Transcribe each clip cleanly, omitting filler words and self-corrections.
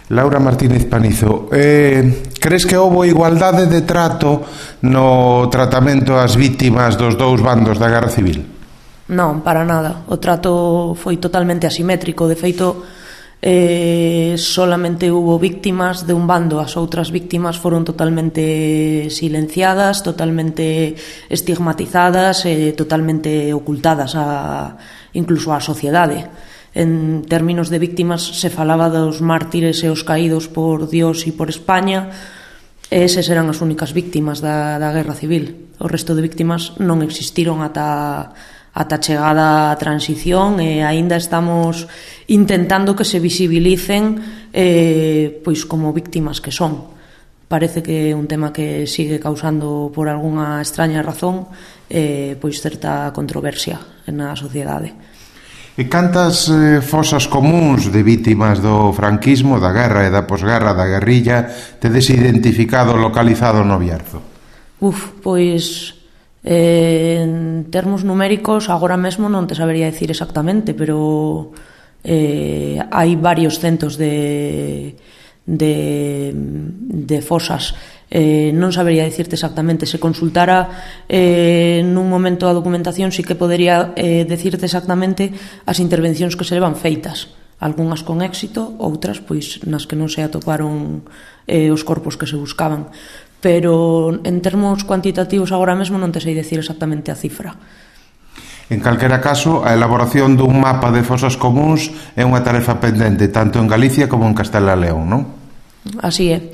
Laura Martínez Panizo, crees que houbo igualdade de trato no tratamento ás vítimas dos dous bandos da Guerra Civil? Non, para nada. O trato foi totalmente asimétrico. De feito, solamente hubo víctimas de un bando. As outras víctimas foron totalmente silenciadas, totalmente estigmatizadas e totalmente ocultadas incluso á sociedade. En términos de víctimas se falaba dos mártires e os caídos por Dios e por España, e eses eran as únicas víctimas da Guerra Civil. O resto de víctimas non existiron ata chegada a transición, e aínda estamos intentando que se visibilicen pois como víctimas que son. Parece que é un tema que sigue causando por algunha extraña razón pois certa controversia na sociedade. E cantas fosas comuns de vítimas do franquismo, da guerra e da posguerra, da guerrilla, tedes identificado, localizado no Bierzo? Pois en termos numéricos agora mesmo non te sabería dicir exactamente, pero hai varios centos de fosas. Non sabería dicirte exactamente. Se consultara nun momento a documentación, sí que podería dicirte exactamente as intervencións que se levan feitas, algunhas con éxito, outras pois nas que non se atoparon os corpos que se buscaban, pero en termos cuantitativos agora mesmo non te sei dicir exactamente a cifra. En calquera caso, a elaboración dun mapa de fosas comuns é unha tarefa pendente tanto en Galicia como en Castela e León, non? Así é.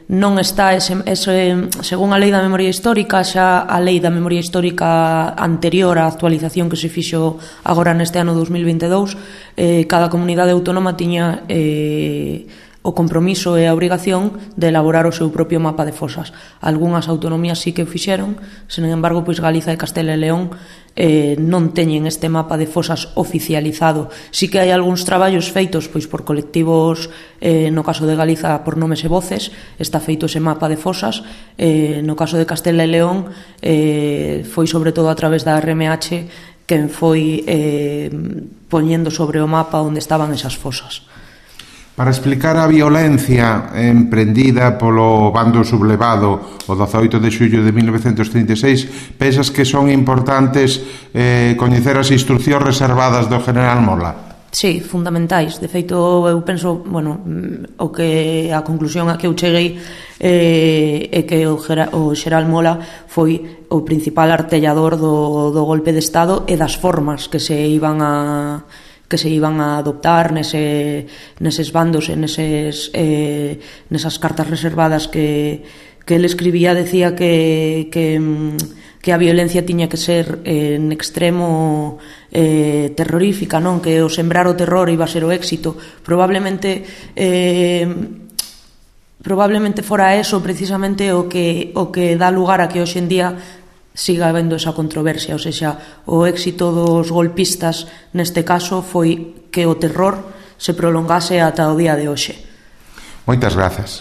Non está según a lei da memoria histórica, xa a lei da memoria histórica anterior á actualización que se fixo agora neste ano 2022, cada comunidade autónoma tiña o compromiso e a obrigación de elaborar o seu propio mapa de fosas. Algúnas autonomías sí que o fixeron, sen embargo, pois Galiza e Castela e León non teñen este mapa de fosas oficializado. Sí que hai algúns traballos feitos pois por colectivos, no caso de Galiza por Nomes e Voces, está feito ese mapa de fosas. No caso de Castela e León foi sobre todo a través da RMH quen foi poñendo sobre o mapa onde estaban esas fosas. Para explicar a violencia emprendida polo bando sublevado o 18 de xullo de 1936, pensas que son importantes coñecer as instruccións reservadas do general Mola? Sí, fundamentais. De feito, eu penso, a conclusión a que eu cheguei é que o xeral Mola foi o principal artellador do golpe de Estado e das formas que se iban a adoptar neses bandos e nesas cartas reservadas que el escribía. Decía que a violencia tiña que ser en extremo terrorífica, non? Que o sembrar o terror iba a ser o éxito. Probablemente fora eso precisamente o que dá lugar a que hoxe en día siga habendo esa controversia. Ou seja, o éxito dos golpistas neste caso foi que o terror se prolongase ata o día de hoxe. Moitas grazas.